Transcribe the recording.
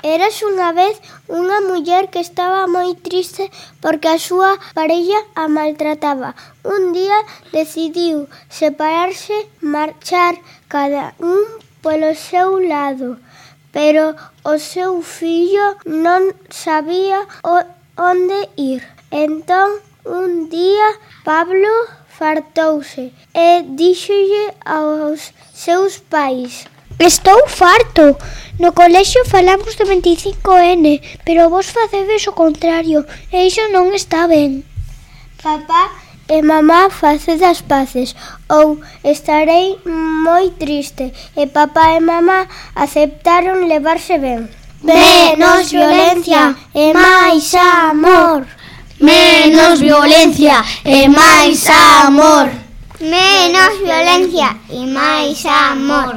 Eras unha vez unha muller que estaba moi triste porque a súa parella a maltrataba. Un día decidiu separarse, marchar cada un polo seu lado, pero o seu fillo non sabía onde ir. Entón, un día, Pablo fartouse e díxolle aos seus pais: Estou farto. No colexio falamos do 25N, pero vos facedes o contrario, e iso non está ben. Papá e mamá, faced as paces, ou estarei moi triste. E papá e mamá aceptaron levarse ben. Menos violencia e máis amor. Menos violencia e máis amor. Menos violencia e máis amor.